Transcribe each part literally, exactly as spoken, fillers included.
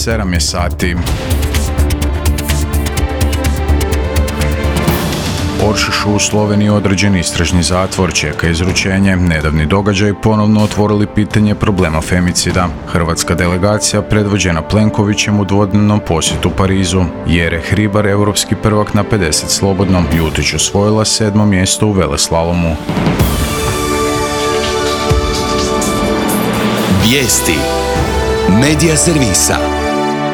sedam je sati. Oršušu u Sloveniji određen istražni zatvor, čeka izručenje. Nedavni događaj ponovno otvorili pitanje problema femicida. Hrvatska delegacija predvođena Plenkovićem u dvodnevnom posjetu Parizu. Jere Hribar, europski prvak na pedeset slobodnom, Jutić osvojila sedmo mjesto u veleslalomu. Vijesti Medija servisa.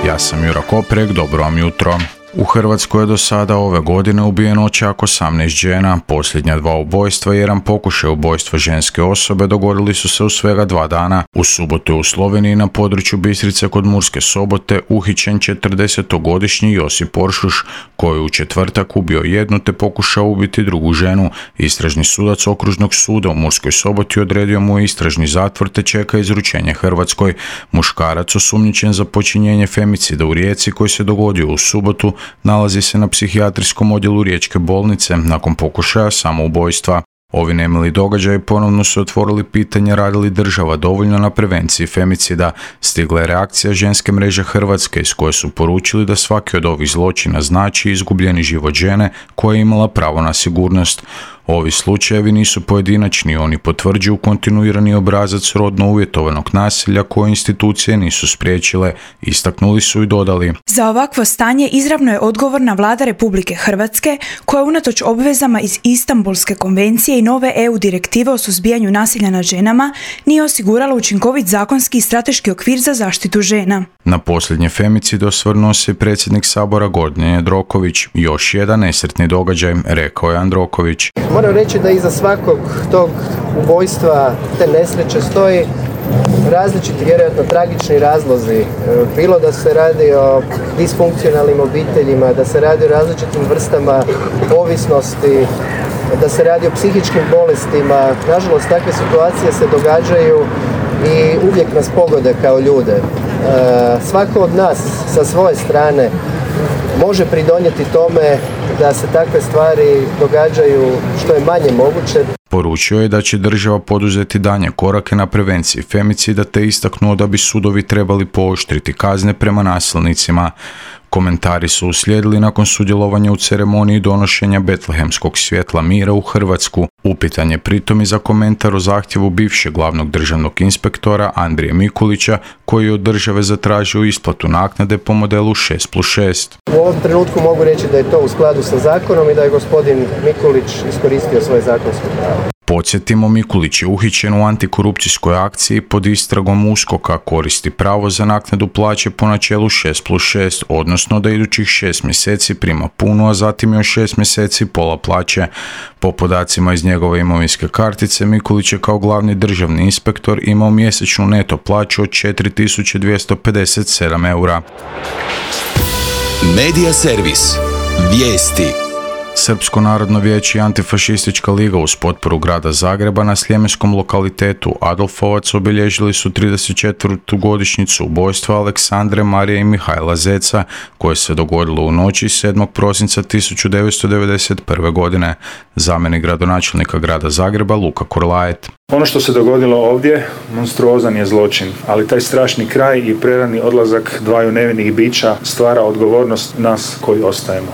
Ja sam Jura Koprek, dobro vam jutro. U Hrvatskoj je do sada ove godine ubijeno čak osamnaest žena. Posljednja dva ubojstva i jedan pokušaj ubojstva ženske osobe dogodili su se u svega dva dana. U subotu je u Sloveniji na području Bistrice kod Murske Sobote uhićen četrdesetogodišnji Josip Oršuš, koji je u četvrtak ubio jednu te pokušao ubiti drugu ženu. Istražni sudac Okružnog suda u Murskoj Soboti odredio mu istražni zatvor te čeka izručenje Hrvatskoj. Muškarac osumnjičen za počinjenje femicida u Rijeci koji se dogodio u subotu nalazi se na psihijatrijskom odjelu Riječke bolnice nakon pokušaja samoubojstva. Ovi nemili događaji ponovno su otvorili pitanje radi li država dovoljno na prevenciji femicida. Stigla je reakcija ženske mreže Hrvatske iz koje su poručili da svaki od ovih zločina znači izgubljeni život žene koja je imala pravo na sigurnost. Ovi slučajevi nisu pojedinačni, oni potvrđuju kontinuirani obrazac rodno uvjetovanog nasilja koje institucije nisu spriječile, istaknuli su i dodali. Za ovakvo stanje izravno je odgovorna vlada Republike Hrvatske, koja unatoč obvezama iz Istanbulske konvencije i nove E U direktive o suzbijanju nasilja nad ženama nije osigurala učinkovit zakonski i strateški okvir za zaštitu žena. Na posljednje femicid osvrnuo se predsjednik Sabora Gordan Jandroković. Još jedan nesretni događaj, rekao je Jandroković. Moram reći da iza svakog tog ubojstva, te nesreće stoji različiti, vjerojatno tragični razlozi. Bilo da se radi o disfunkcionalnim obiteljima, da se radi o različitim vrstama ovisnosti, da se radi o psihičkim bolestima. Nažalost, takve situacije se događaju i uvijek nas pogode kao ljude. Svako od nas sa svoje strane može pridonijeti tome da se takve stvari događaju što je manje moguće. Poručio je da će država poduzeti daljnje korake na prevenciji femicida te istaknuo da bi sudovi trebali pooštriti kazne prema nasilnicima. Komentari su uslijedili nakon sudjelovanja u ceremoniji donošenja Betlehemskog svjetla mira u Hrvatsku. Upitan je pritom i za komentar o zahtjevu bivšeg glavnog državnog inspektora Andrije Mikulića, koji je od države zatražio isplatu naknade po modelu šest plus šest. U ovom trenutku mogu reći da je to u skladu sa zakonom i da je gospodin Mikulić iskoristio svoje zakonsko pravo. Podsjetimo, Mikulić je uhićen u antikorupcijskoj akciji pod istragom USKOK-a, koristi pravo za naknadu plaće po načelu šest plus šest, odnosno da idućih šest mjeseci prima puno, a zatim još šest mjeseci pola plaće. Po podacima iz njegove imovinske kartice, Mikulić je kao glavni državni inspektor imao mjesečnu neto plaću od četiri tisuće dvjesto pedeset sedam eura. Medija servis. Vijesti. Srpsko narodno vijeće i Antifašistička liga uz potporu grada Zagreba na sljemenskom lokalitetu Adolfovac obilježili su trideset četvrtu godišnjicu ubojstva Aleksandre, Marije i Mihajla Zeca, koje se dogodilo u noći sedmog prosinca tisuću devetsto devedeset prve. godine. Zamjenik gradonačelnika grada Zagreba Luka Korlajet. Ono što se dogodilo ovdje, monstruozan je zločin, ali taj strašni kraj i prerani odlazak dvaju nevinih bića stvara odgovornost nas koji ostajemo.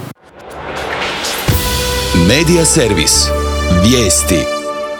Medija servis. Vijesti.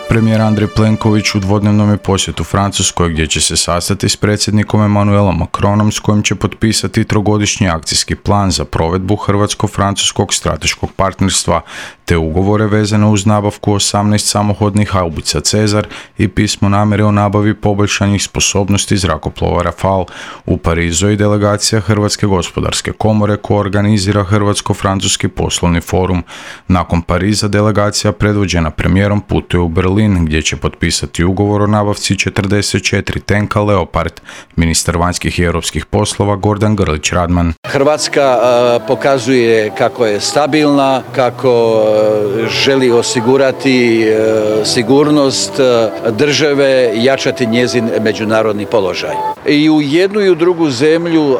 Premijer Andrej Plenković u dvodnevnom je posjetu Francuskoj, gdje će se sastati s predsjednikom Emmanuelom Macronom, s kojim će potpisati trogodišnji akcijski plan za provedbu hrvatsko-francuskog strateškog partnerstva, te ugovore vezane uz nabavku osamnaest samohodnih haubica Cezar i pismo namjere o nabavi poboljšanih sposobnosti zrakoplova Rafale. U Parizu je i delegacija Hrvatske gospodarske komore koja organizira Hrvatsko-francuski poslovni forum. Nakon Pariza delegacija predvođena premijerom putuje u Berlin, gdje će potpisati ugovor o nabavci četrdeset četiri tenka Leopard. Ministar vanjskih i europskih poslova Gordan Grlić Radman. Hrvatska uh, pokazuje kako je stabilna, kako uh, želi osigurati uh, sigurnost uh, države, jačati njezin međunarodni položaj. I u jednu i u drugu zemlju uh,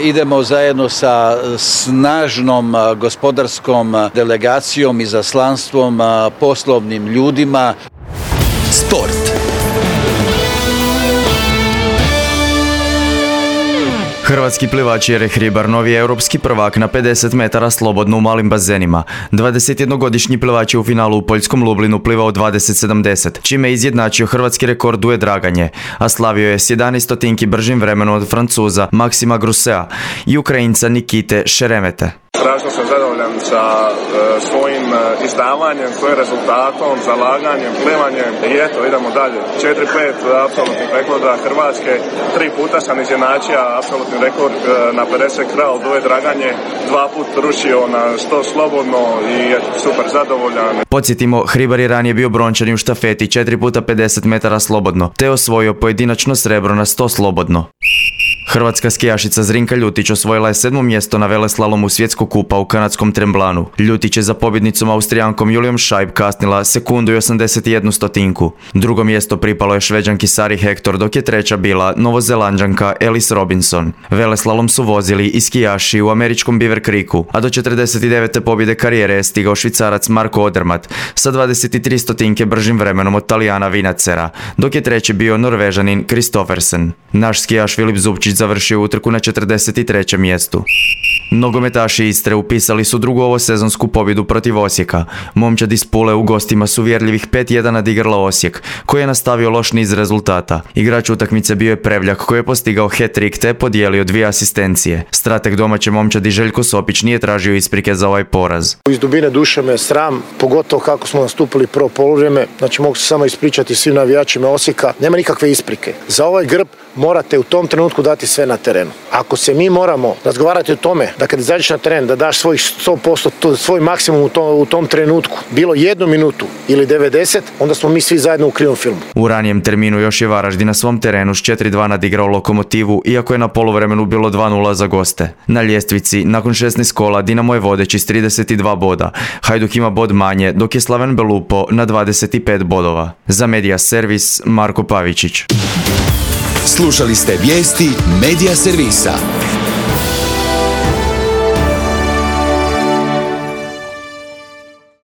idemo zajedno sa snažnom uh, gospodarskom delegacijom i zaslanstvom, uh, poslovnim ljudima. Sport. Hrvatski plivač Jere Hribar novi je europski prvak na pedeset metara slobodno u malim bazenima. dvadesetjednogodišnji plivač je u finalu u poljskom Lublinu plivao dvadeset sedamdeset, čime je izjednačio hrvatski rekord duet draganje, a slavio je s jedanaest stotinki bržim vremenom od Francuza Maksima Grusea i Ukrajinca Nikite Šeremete. Strašno sam zadovoljan sa e, svojim e, izdavanjem, svojim rezultatom, zalaganjem, plivanjem i eto, idemo dalje. četiri pet apsolutnih rekorda Hrvatske, tri puta sam izjednačio apsolutni rekord e, na pedeset kral duet draganje, dva put rušio na sto slobodno i eto, super zadovoljan. Podsjetimo, Hribar je ranije bio brončani u štafeti četiri puta pedeset metara slobodno, te osvojio pojedinačno srebro na sto slobodno. Hrvatska skijašica Zrinka Ljutić osvojila je sedmo mjesto na veleslalomu svjetskog kupa u kanadskom Tremblanu. Ljutić je za pobjednicom Austrijankom Julijom Scheib kasnila sekundu i osamdeset jednu stotinku. Drugo mjesto pripalo je Šveđanki Sari Hector, dok je treća bila Novozelanđanka Alice Robinson. Veleslalom su vozili i skijaši u američkom Beaver Creeku, a do četrdeset devete pobjede karijere je stigao Švicarac Marko Odermatt sa dvadeset tri stotinke bržim vremenom od Talijana Vinacera, dok je treći bio Norvežanin Kristoffersen. Naš skijaš Filip Zupčić završio utrku na četrdeset trećem mjestu. Nogometaši Istre upisali su drugu ovosezonsku pobjedu protiv Osijeka. Momčad iz Pule u gostima su uvjerljivih pet jedan nadigrala Osijek, koji je nastavio loš niz rezultata. Igrač utakmice bio je Prevljak, koji je postigao hat-trick te podijelio dvije asistencije. Strateg domaće momčadi Željko Sopić nije tražio isprike za ovaj poraz. Iz dubine duše me sram, pogotovo kako smo nastupili prvo poluvrijeme. Znači mogu se samo ispričati svim navijačima Osijeka. Nema nikakve isprike. Za ovaj grb morate u tom trenutku dati sve na terenu. Ako se mi moramo razgovarati o tome da kad izađeš na teren da daš svoj sto posto, svoj maksimum u tom, u tom trenutku, bilo jednu minutu ili devedeset, onda smo mi svi zajedno u krivom filmu. U ranijem terminu još je Varaždin na svom terenu s četiri dva nadigrao Lokomotivu, iako je na poluvremenu bilo dva nula za goste. Na ljestvici, nakon šesnaest kola, Dinamo je vodeći s trideset dva boda. Hajduk ima bod manje, dok je Slaven Belupo na dvadeset pet bodova. Za Media Servis, Marko Pavičić. Slušali ste vijesti Media Servisa.